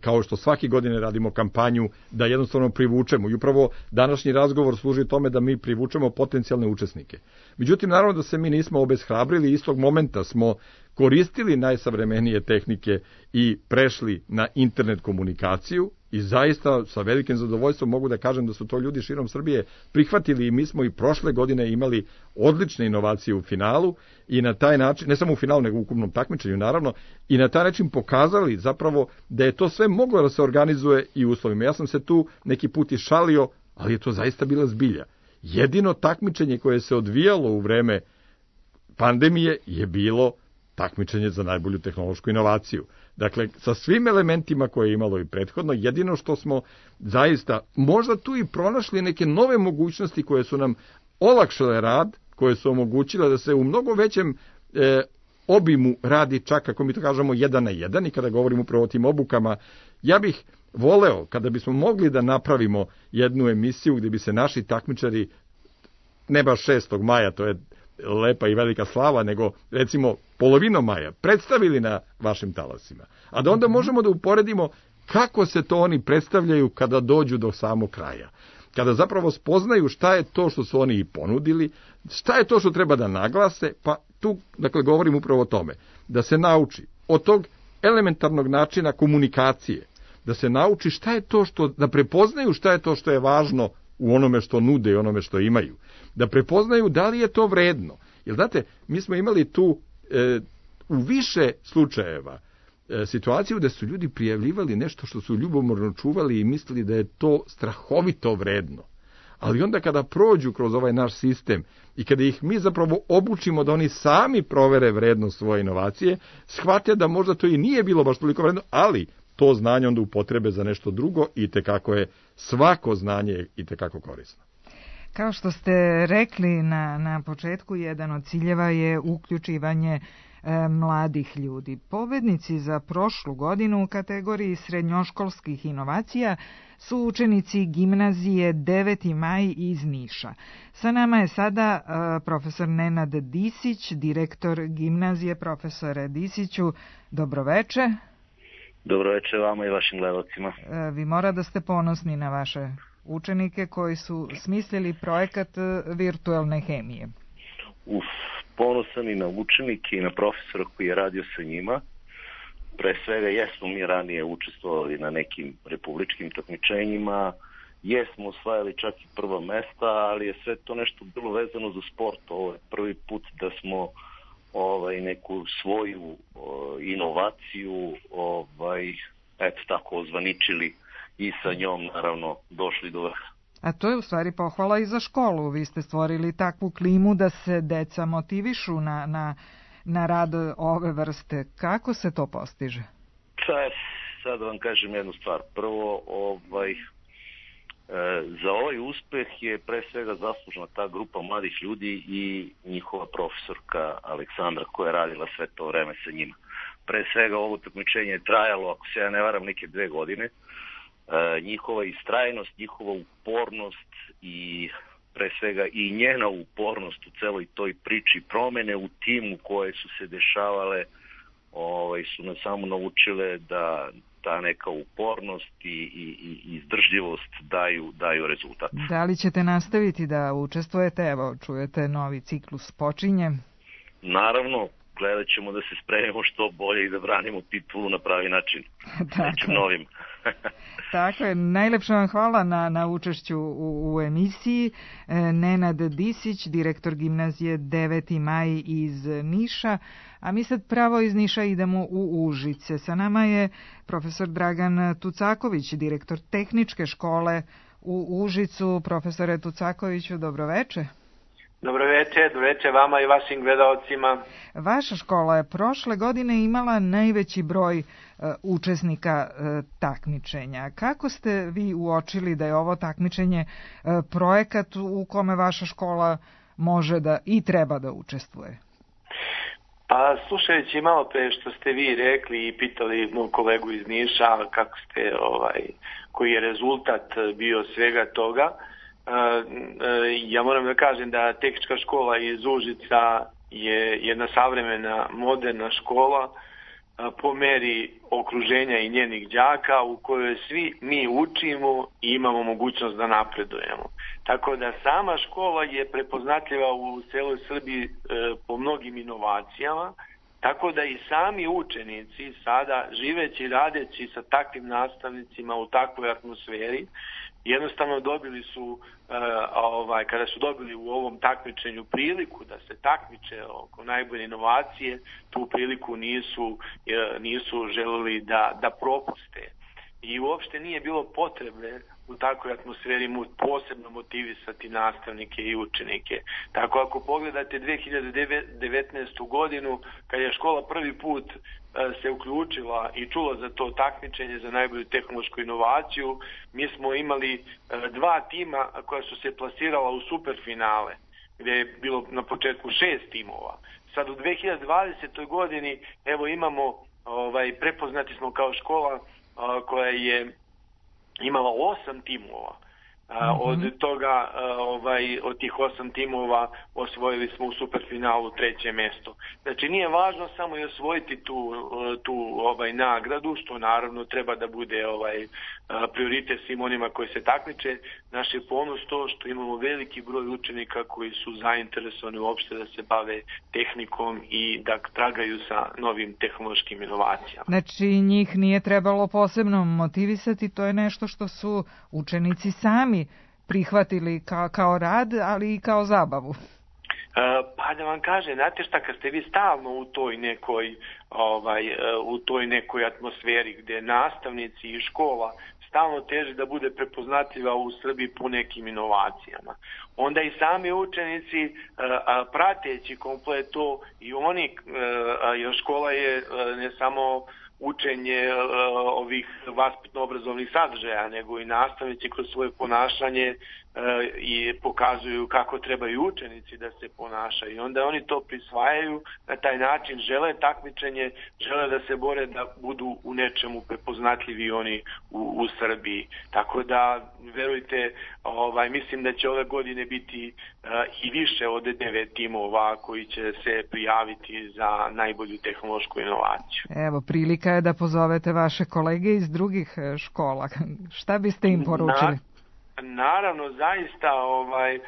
kao što svaki godine radimo kampanju, da jednostavno privučemo. I upravo današnji razgovor služi tome da mi privučemo potencijalne učesnike. Međutim, naravno da se mi nismo obeshrabrili, istog momenta smo koristili najsavremenije tehnike i prešli na internet komunikaciju i zaista sa velikim zadovoljstvom mogu da kažem da su to ljudi širom Srbije prihvatili i mi smo i prošle godine imali odlične inovacije u finalu i na taj način, ne samo u finalu nego u ukupnom takmičenju naravno, i na taj način pokazali zapravo da je to sve moglo da se organizuje i uslovima. Ja sam se tu neki put i šalio, ali je to zaista bila zbilja. Jedino takmičenje koje se odvijalo u vreme pandemije je bilo takmičenje za najbolju tehnološku inovaciju. Dakle, sa svim elementima koje je imalo i prethodno, jedino što smo zaista možda tu i pronašli neke nove mogućnosti koje su nam olakšale rad, koje su omogućile da se u mnogo većem e, obimu radi čak, kako mi to kažemo, jedan na jedan, i kada govorimo upravo o tim obukama, ja bih voleo kada bismo mogli da napravimo jednu emisiju gdje bi se naši takmičari, ne baš šestog maja, to je lepa i velika slava, nego recimo polovinom maja predstavili na vašim talasima. A da onda možemo da uporedimo kako se to oni predstavljaju kada dođu do samog kraja. Kada zapravo spoznaju šta je to što su oni i ponudili, šta je to što treba da naglase, pa tu, dakle, govorim upravo o tome, da se nauči od tog elementarnog načina komunikacije, da se nauči šta je to što, da prepoznaju šta je to što je važno u onome što nude i onome što imaju. Da prepoznaju da li je to vredno. Jer, znate, mi smo imali tu e, u više slučajeva e, situaciju da su ljudi prijavljivali nešto što su ljubomorno čuvali i mislili da je to strahovito vredno. Ali onda kada prođu kroz ovaj naš sistem i kada ih mi zapravo obučimo da oni sami provere vrednost svoje inovacije, shvate da možda to i nije bilo baš toliko vredno, ali to znanje onda upotrebe za nešto drugo i tekako je svako znanje i tekako korisno. Kao što ste rekli na, na početku, jedan od ciljeva je uključivanje e, mladih ljudi. Pobednici za prošlu godinu u kategoriji srednjoškolskih inovacija su učenici gimnazije deveti maj iz Niša. Sa nama je sada e, profesor Nenad Disić, direktor gimnazije. Profesore Disiću, dobroveče. Dobroveče vama i vašim gledalcima. E, vi mora da ste ponosni na vaše učenike koji su smislili projekat virtualne hemije. Uf, ponosan i na učenike i na profesora koji je radio sa njima. Pre svega jesmo mi ranije učestvovali na nekim republičkim takmičenjima, jesmo osvajali čak i prva mesta, ali je sve to nešto bilo vezano za sport. Ovo je prvi put da smo ovaj, neku svoju o, inovaciju ovaj, eto tako ozvaničili i sa njom, naravno, došli do vrha. A to je u stvari pohvala i za školu. Vi ste stvorili takvu klimu da se deca motivišu na, na, na rad ove vrste. Kako se to postiže? Sad vam kažem jednu stvar. Prvo, ovaj, e, za ovaj uspeh je pre svega zaslužna ta grupa mladih ljudi i njihova profesorka Aleksandra koja je radila sve to vreme sa njima. Pre svega ovo takmičenje je trajalo, ako se ja ne varam, neke dve godine. E, njihova istrajnost, njihova upornost i pre svega i njena upornost u celoj toj priči, promene u timu koje su se dešavale, ovaj, su nas samo naučile da ta neka upornost i, i, i izdržljivost daju, daju rezultat. Da li ćete nastaviti da učestvujete? Evo, čujete, novi ciklus počinje. Naravno, gledat ćemo da se spremimo što bolje i da branimo titulu na pravi način. Nečim novim. Tako je, najlepša vam hvala na, na učešću u, u emisiji. Nenad Disić, direktor gimnazije deveti maj iz Niša, a mi sad pravo iz Niša idemo u Užice. Sa nama je profesor Dragan Tucaković, direktor tehničke škole u Užicu. Profesore Tucakoviću, dobroveče. Dobroveče, dobroveče vama i vašim gledalcima. Vaša škola je prošle godine imala najveći broj uh, učesnika uh, takmičenja. Kako ste vi uočili da je ovo takmičenje uh, projekat u kome vaša škola može da i treba da učestvuje? Pa slušajući malo pre što ste vi rekli i pitali moj kolegu iz Niša kako ste, ovaj, koji je rezultat bio svega toga, ja moram da kažem da tehnička škola iz Užica je jedna savremena, moderna škola po meri okruženja i njenih đaka u kojoj svi mi učimo i imamo mogućnost da napredujemo. Tako da sama škola je prepoznatljiva u celoj Srbiji po mnogim inovacijama, tako da i sami učenici sada živeći i radeći sa takvim nastavnicima u takvoj atmosferi jednostavno dobili su, uh, ovaj, kada su dobili u ovom takmičenju priliku da se takmiče oko najbolje inovacije, tu priliku nisu, uh, nisu želeli da, da propuste. I uopšte nije bilo potrebe u takvoj atmosferi posebno motivisati nastavnike i učenike. Tako ako pogledate dve hiljade devetnaestu godinu, kad je škola prvi put se uključila i čula za to takmičenje za najbolju tehnološku inovaciju, mi smo imali dva tima koja su se plasirala u superfinale, gdje je bilo na početku šest timova. Sad u dve hiljade dvadesetoj godini evo imamo, ovaj, prepoznati smo kao škola koja je imala osam timova. Mm-hmm. Od toga, ovaj, od tih osam timova osvojili smo u superfinalu treće mjesto. Znači nije važno samo i osvojiti tu, tu ovaj, nagradu, što naravno treba da bude ovaj, prioritet svim onima koji se takmiče. Naš je ponos to što imamo veliki broj učenika koji su zainteresovani uopšte da se bave tehnikom i da tragaju sa novim tehnološkim inovacijama. Znači njih nije trebalo posebno motivisati, to je nešto što su učenici sami prihvatili kao, kao rad, ali i kao zabavu. Pa da vam kaže, znate šta, kad ste vi stalno u toj nekoj, ovaj, u toj nekoj atmosferi gdje nastavnici i škola stalno teže da bude prepoznatljiva u Srbiji po nekim inovacijama, onda i sami učenici prateći komplet to i oni, jer škola je ne samo učenje ovih vaspitno-obrazovnih sadržaja, nego i nastavnici kroz svoje ponašanje i pokazuju kako trebaju učenici da se ponašaju. I onda oni to prisvajaju, na taj način žele takmičenje, žele da se bore da budu u nečemu prepoznatljivi oni u, u Srbiji. Tako da, verujte, ovaj, mislim da će ove godine biti uh, i više od devet timova koji će se prijaviti za najbolju tehnološku inovaciju. Evo, prilika je da pozovete vaše kolege iz drugih škola. Šta biste im poručili? Na... Naravno, zaista ovaj, e,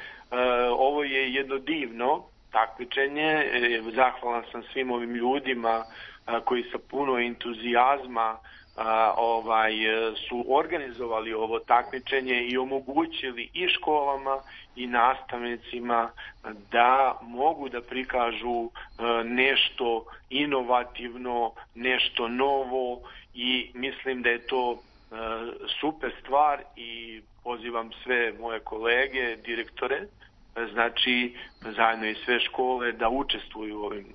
ovo je jedno divno takmičenje. E, zahvalan sam svim ovim ljudima a, koji sa puno entuzijazma a, ovaj, su organizovali ovo takmičenje i omogućili i školama i nastavnicima da mogu da prikažu a, nešto inovativno, nešto novo i mislim da je to a, super stvar i pozivam sve moje kolege, direktore, znači zajedno i sve škole da učestvuju u ovim,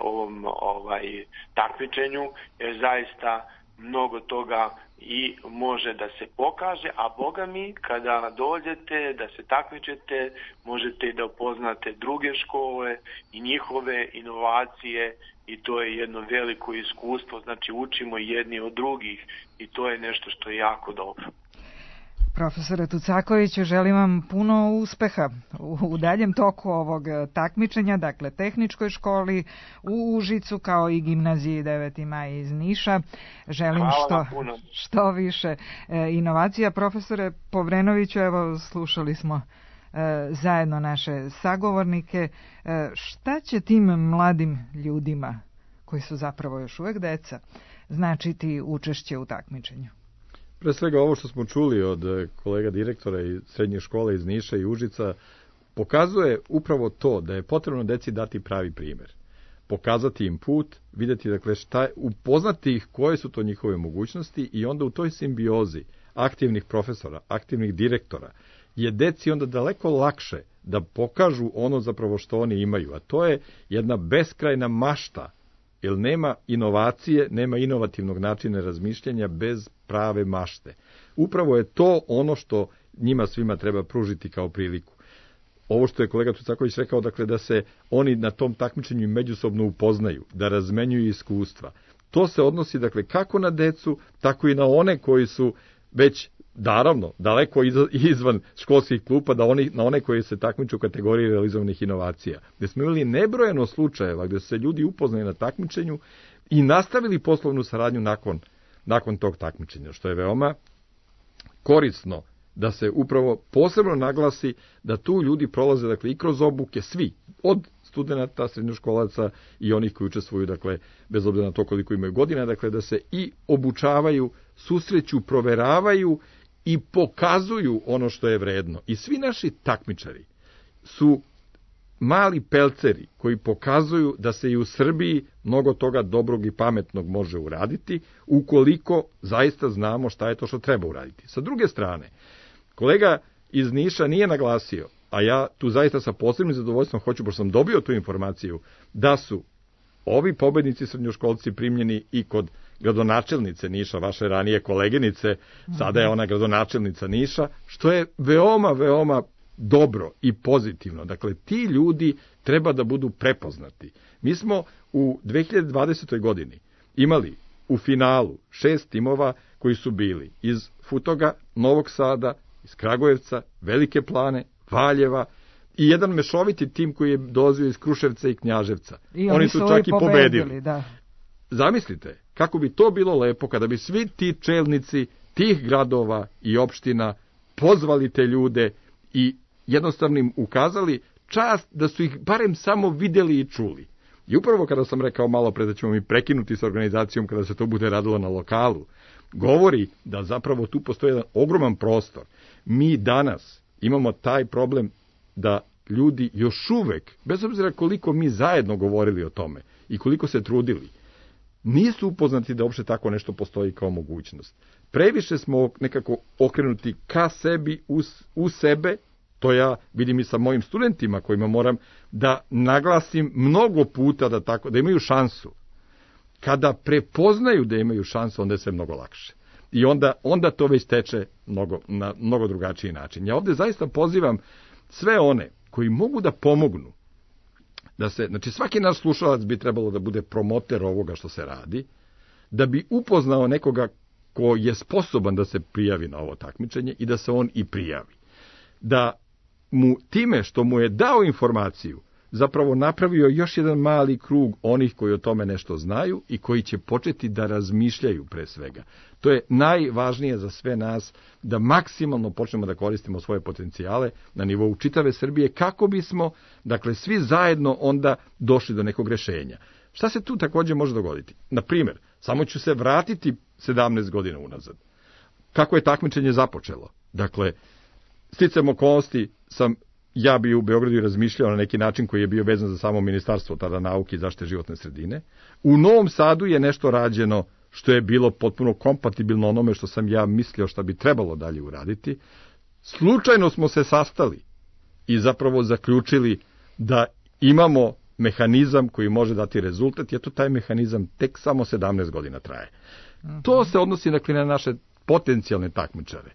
ovom ovaj, takmičenju, jer zaista mnogo toga i može da se pokaže, a Boga mi, kada dođete da se takmičete, možete i da upoznate druge škole i njihove inovacije i to je jedno veliko iskustvo, znači učimo jedni od drugih i to je nešto što je jako dobro. Profesore Tucakoviću, želim vam puno uspeha u, u daljem toku ovog takmičenja, dakle tehničkoj školi u Užicu kao i gimnaziji deveti maj iz Niša. Želim što, što više e, inovacija. Profesore Povrenoviću, evo slušali smo e, zajedno naše sagovornike. E, šta će tim mladim ljudima, koji su zapravo još uvek deca, značiti učešće u takmičenju? Pre svega ovo što smo čuli od kolega direktora i srednje škole iz Niša i Užica pokazuje upravo to da je potrebno deci dati pravi primjer. Pokazati im put, vidjeti dakle šta, upoznati ih koje su to njihove mogućnosti i onda u toj simbiozi aktivnih profesora, aktivnih direktora je deci onda daleko lakše da pokažu ono zapravo što oni imaju, a to je jedna beskrajna mašta. Jer nema inovacije, nema inovativnog načina razmišljanja bez prave mašte. Upravo je to ono što njima svima treba pružiti kao priliku. Ovo što je kolega Tucaković rekao, dakle da se oni na tom takmičenju međusobno upoznaju, da razmenjuju iskustva. To se odnosi dakle kako na decu, tako i na one koji su već naravno daleko izvan školskih klupa, da oni, na one koji se takmiču u kategoriji realizovanih inovacija. Gde smo imali nebrojeno slučajeva gde su se ljudi upoznali na takmičenju i nastavili poslovnu saradnju nakon, nakon tog takmičenja, što je veoma korisno da se upravo posebno naglasi da tu ljudi prolaze dakle i kroz obuke svi, od studenata, srednjoškolaca i onih koji učestvuju, dakle, bez obzira na to koliko imaju godina, dakle, da se i obučavaju, susreću, proveravaju i pokazuju ono što je vredno. I svi naši takmičari su mali pelceri koji pokazuju da se i u Srbiji mnogo toga dobrog i pametnog može uraditi, ukoliko zaista znamo šta je to što treba uraditi. Sa druge strane, kolega iz Niša nije naglasio, a ja tu zaista sa posebnim zadovoljstvom hoću, pošto sam dobio tu informaciju, da su ovi pobednici srednjoškolci primljeni i kod gradonačelnice Niša, vaše ranije koleginice, sada je ona gradonačelnica Niša, što je veoma, veoma dobro i pozitivno. Dakle, ti ljudi treba da budu prepoznati. Mi smo u dve hiljade dvadesetoj godini imali u finalu šest timova koji su bili iz Futoga, Novog Sada, iz Kragujevca, Velike Plane, Valjeva i jedan mešoviti tim koji je dolazio iz Kruševca i Knjaževca. I oni, oni su čak i pobedili. Da. Zamislite, kako bi to bilo lepo kada bi svi ti čelnici tih gradova i opština, pozvali te ljude i jednostavno im ukazali čast da su ih barem samo videli i čuli. I upravo kada sam rekao malo pre da ćemo mi prekinuti s organizacijom kada se to bude radilo na lokalu, govori da zapravo tu postoji jedan ogroman prostor. Mi danas imamo taj problem da ljudi još uvek, bez obzira koliko mi zajedno govorili o tome i koliko se trudili, nisu upoznati da uopšte tako nešto postoji kao mogućnost. Previše smo nekako okrenuti ka sebi, u, u sebe, to ja vidim i sa mojim studentima kojima moram da naglasim mnogo puta da, tako, da imaju šansu. Kada prepoznaju da imaju šansu, onda je sve mnogo lakše. I onda, onda to već teče mnogo, na mnogo drugačiji način. Ja ovde zaista pozivam sve one koji mogu da pomognu, da se, znači svaki naš slušalac bi trebalo da bude promoter ovoga što se radi, da bi upoznao nekoga ko je sposoban da se prijavi na ovo takmičenje i da se on i prijavi. Da mu time što mu je dao informaciju zapravo napravio još jedan mali krug onih koji o tome nešto znaju i koji će početi da razmišljaju pre svega. To je najvažnije za sve nas, da maksimalno počnemo da koristimo svoje potencijale na nivou čitave Srbije, kako bismo, dakle, svi zajedno onda došli do nekog rešenja. Šta se tu takođe može dogoditi? Na primjer, samo ću se vratiti sedamnaest godina unazad. Kako je takmičenje započelo? Dakle, sticajem okolnosti sam ja bi u Beogradu razmišljao na neki način koji je bio vezan za samo ministarstvo tada nauke i zaštite životne sredine. U Novom Sadu je nešto rađeno što je bilo potpuno kompatibilno onome što sam ja mislio šta bi trebalo dalje uraditi. Slučajno smo se sastali i zapravo zaključili da imamo mehanizam koji može dati rezultat, jer to taj mehanizam tek samo sedamnaest godina traje. Uh-huh. To se odnosi dakle na naše potencijalne takmičare.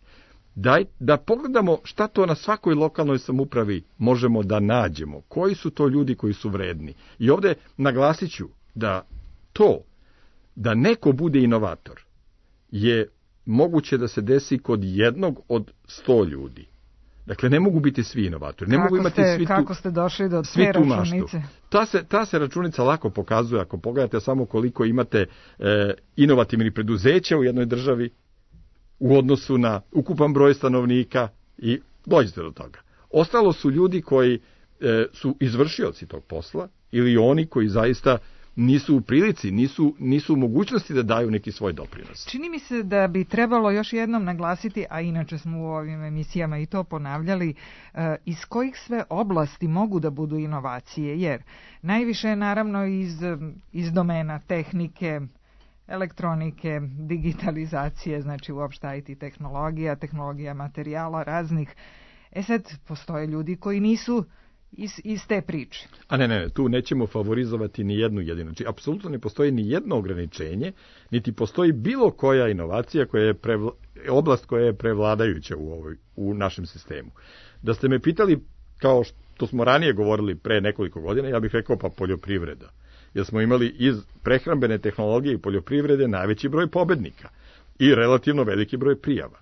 Daj, da pogledamo šta to na svakoj lokalnoj samoupravi možemo da nađemo, koji su to ljudi koji su vredni. I ovde naglasit ću da to, da neko bude inovator, je moguće da se desi kod jednog od sto ljudi. Dakle, ne mogu biti svi inovatori. Ne kako mogu imati ste, svi tu, kako ste došli do te računice? Ta se, ta se računica lako pokazuje ako pogledate samo koliko imate e, inovativnih preduzeća u jednoj državi, u odnosu na ukupan broj stanovnika i dođete do toga. Ostalo su ljudi koji e, su izvršioci tog posla ili oni koji zaista nisu u prilici, nisu, nisu u mogućnosti da daju neki svoj doprinos. Čini mi se da bi trebalo još jednom naglasiti, a inače smo u ovim emisijama i to ponavljali, e, iz kojih sve oblasti mogu da budu inovacije, jer najviše je naravno iz, iz domena tehnike, elektronike, digitalizacije, znači uopšte I T tehnologija, tehnologija materijala raznih. E sad, postoje ljudi koji nisu iz, iz te priče. A ne, ne, tu nećemo favorizovati ni jednu jedinu. Znači, apsolutno ne postoji ni jedno ograničenje, niti postoji bilo koja inovacija, koja je prevla, oblast koja je prevladajuća u, ovoj, u našem sistemu. Da ste me pitali, kao što smo ranije govorili pre nekoliko godina, ja bih rekao pa poljoprivreda. Jer smo imali iz prehrambene tehnologije i poljoprivrede najveći broj pobednika i relativno veliki broj prijava.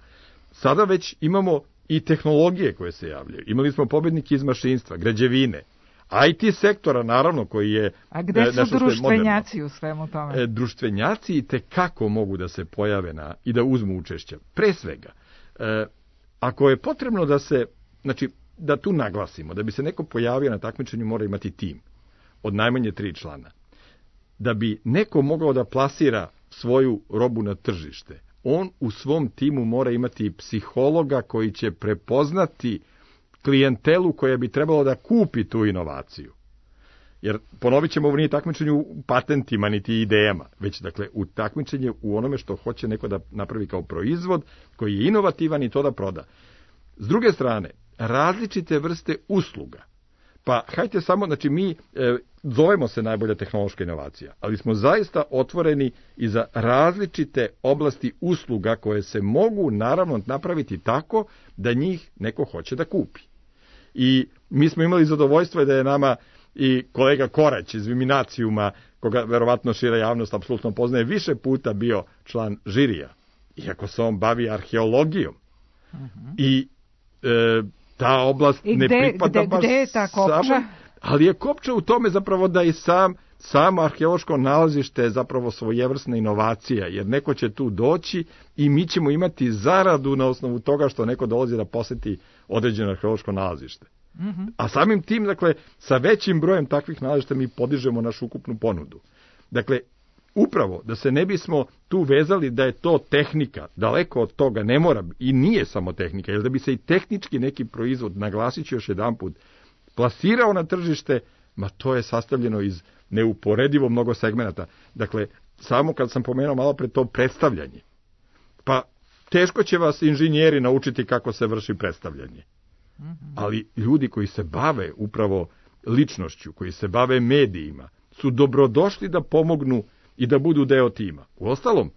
Sada već imamo i tehnologije koje se javljaju. Imali smo pobednike iz mašinstva, građevine, I T sektora, naravno, koji je... A gde su društvenjaci u svemu tome? E, društvenjaci i tekako mogu da se pojave na, i da uzmu učešća. Pre svega, e, ako je potrebno da se, znači, da tu naglasimo, da bi se neko pojavio na takmičenju, mora imati tim od najmanje tri člana. Da bi neko mogao da plasira svoju robu na tržište, on u svom timu mora imati psihologa koji će prepoznati klijentelu koja bi trebalo da kupi tu inovaciju. Jer ponovit ćemo, ovo nije takmičenje u patentima niti idejama, već dakle u takmičenje u onome što hoće neko da napravi kao proizvod koji je inovativan i to da proda. S druge strane, različite vrste usluga. Pa hajte samo, znači mi e, zovemo se najbolja tehnološka inovacija, ali smo zaista otvoreni i za različite oblasti usluga koje se mogu naravno napraviti tako da njih neko hoće da kupi. I mi smo imali zadovoljstvo da je nama i kolega Korać iz Viminacijuma, koga verovatno šira javnost apsolutno poznaje, više puta bio član žirija, iako se on bavi arheologijom. Uh-huh. I e, ta oblast I ne gde, pripada gde, baš gde je ta kopča? Samo, ali je kopča u tome zapravo da i sam samo arheološko nalazište je zapravo svojevrsna inovacija, jer neko će tu doći i mi ćemo imati zaradu na osnovu toga što neko dolazi da poseti određeno arheološko nalazište. Mm-hmm. A samim tim, dakle, sa većim brojem takvih nalazišta mi podižemo našu ukupnu ponudu. Dakle, upravo da se ne bismo tu vezali da je to tehnika, daleko od toga ne mora i nije samo tehnika, jer da bi se i tehnički neki proizvod, naglasit ću još jedan put, plasirao na tržište, ma to je sastavljeno iz neuporedivo mnogo segmenata. Dakle, samo kad sam pomenuo malo pre to predstavljanje, pa teško će vas inženjeri naučiti kako se vrši predstavljanje. Ali ljudi koji se bave upravo ličnošću, koji se bave medijima, su dobrodošli da pomognu i da budu deo tima. Uostalom,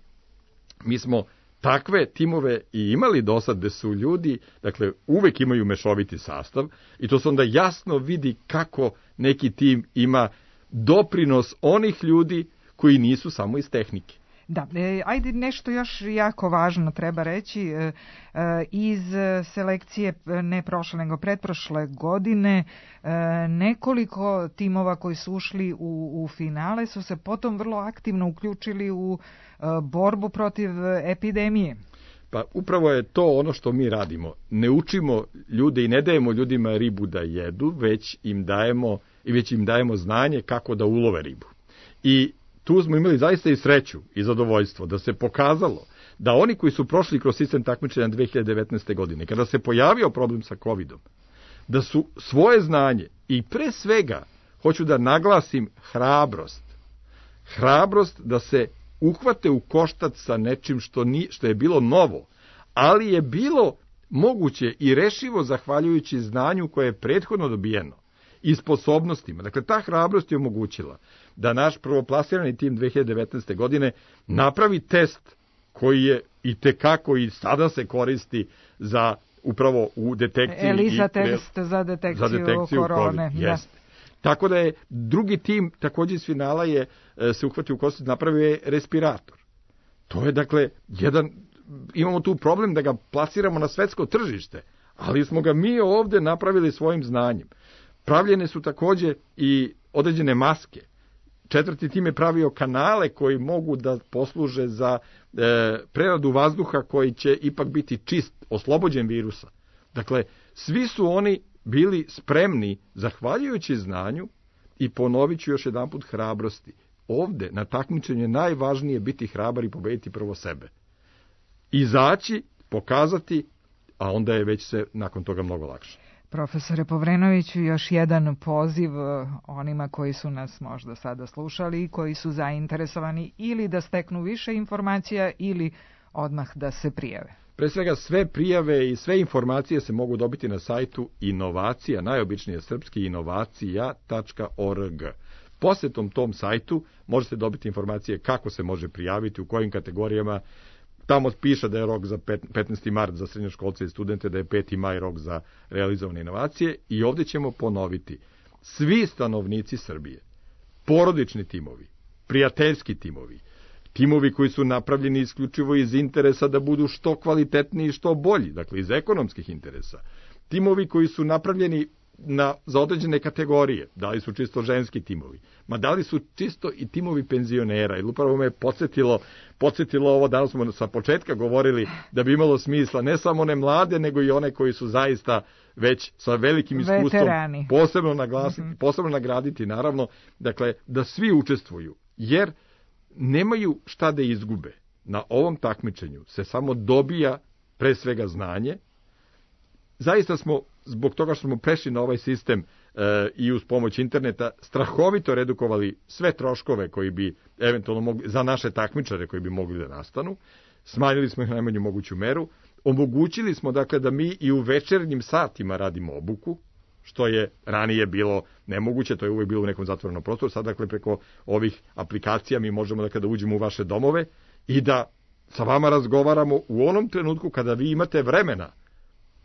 mi smo takve timove i imali do sad gde su ljudi, dakle, uvek imaju mešoviti sastav i to se onda jasno vidi kako neki tim ima doprinos onih ljudi koji nisu samo iz tehnike. Da, e, ajde nešto još jako važno treba reći. E, e, iz selekcije ne prošle nego pretprošle godine e, nekoliko timova koji su ušli u, u finale su se potom vrlo aktivno uključili u e, borbu protiv epidemije. Pa upravo je to ono što mi radimo. Ne učimo ljude i ne dajemo ljudima ribu da jedu, već im dajemo, i već im dajemo znanje kako da ulove ribu. I tu smo imali zaista i sreću i zadovoljstvo da se pokazalo da oni koji su prošli kroz sistem takmičenja dve hiljade devetnaeste. godine, kada se pojavio problem sa kovidom, da su svoje znanje i pre svega, hoću da naglasim, hrabrost, hrabrost da se uhvate u koštac sa nečim što, ni, što je bilo novo, ali je bilo moguće i rešivo zahvaljujući znanju koje je prethodno dobijeno i sposobnostima. Dakle, ta hrabrost je omogućila da naš prvoplasirani tim dve hiljade devetnaeste. godine napravi test koji je i tekako i sada se koristi za upravo u detekciji. ELISA i, test za detekciju, za detekciju korone. Jeste. Tako da je drugi tim, također iz finala je se uhvatio u koštac, napravio je respirator. To je dakle jedan, imamo tu problem da ga plasiramo na svetsko tržište, ali smo ga mi ovde napravili svojim znanjem. Pravljene su također i određene maske. Četvrti tim je pravio kanale koji mogu da posluže za e, preradu vazduha koji će ipak biti čist, oslobođen virusa. Dakle, svi su oni bili spremni, zahvaljujući znanju, i ponovit ću još jedan put, hrabrosti. Ovde, na takmičenju, je najvažnije biti hrabar i pobediti prvo sebe. Izaći, pokazati, a onda je već se nakon toga mnogo lakše. Profesore Povrenoviću, još jedan poziv onima koji su nas možda sada slušali i koji su zainteresovani ili da steknu više informacija ili odmah da se prijave. Pre svega sve prijave i sve informacije se mogu dobiti na sajtu inovacija, najobičnije srpski, inovacija tačka org. Posetom tom sajtu možete dobiti informacije kako se može prijaviti, u kojim kategorijama. Tamo piše da je rok za petnaesti mart za srednjoškolce i studente, da je peti maj rok za realizovane inovacije, i ovdje ćemo ponoviti. Svi stanovnici Srbije, porodični timovi, prijateljski timovi, timovi koji su napravljeni isključivo iz interesa da budu što kvalitetniji i što bolji, dakle iz ekonomskih interesa, timovi koji su napravljeni na, za određene kategorije, da li su čisto ženski timovi, ma da li su čisto i timovi penzionera, jer upravo me je podsjetilo, podsjetilo ovo, danas smo sa početka govorili da bi imalo smisla ne samo one mlade, nego i one koji su zaista već sa velikim iskustvom, veterani, posebno naglasiti, mm-hmm. posebno nagraditi, naravno, dakle, da svi učestvuju, jer nemaju šta da izgube. Na ovom takmičenju se samo dobija pre svega znanje. Zaista smo, zbog toga što smo prešli na ovaj sistem e, i uz pomoć interneta, strahovito redukovali sve troškove koji bi eventualno mogli, za naše takmičare koji bi mogli da nastanu. Smanjili smo ih na najmanju moguću meru. Omogućili smo, dakle, da mi i u večernjim satima radimo obuku, što je ranije bilo nemoguće, to je uvijek bilo u nekom zatvorenom prostoru. Sad, dakle, preko ovih aplikacija mi možemo, dakle, da uđemo u vaše domove i da sa vama razgovaramo u onom trenutku kada vi imate vremena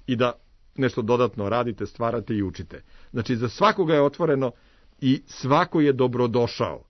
i da nešto dodatno radite, stvarate i učite. Znači, za svakoga je otvoreno i svako je dobrodošao.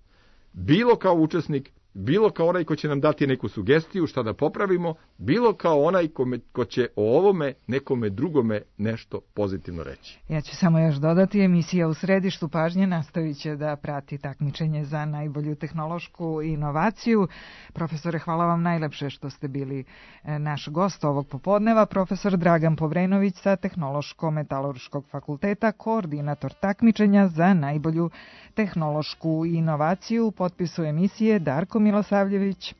Bilo kao učesnik, bilo kao onaj ko će nam dati neku sugestiju šta da popravimo, bilo kao onaj ko, me, ko će o ovome nekome drugome nešto pozitivno reći. Ja ću samo još dodati, emisija U središtu pažnje nastavit će da prati takmičenje za najbolju tehnološku inovaciju. Profesore, hvala vam najlepše što ste bili naš gost ovog popodneva. Profesor Dragan Povrenović sa Tehnološko-metalurškog fakulteta, koordinator takmičenja za najbolju tehnološku inovaciju. U potpisu emisije Darko Milosavljević,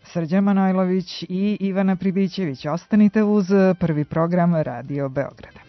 Srđan Manojlović i Ivana Pribićević. Ostanite uz Prvi program Radio Beograda.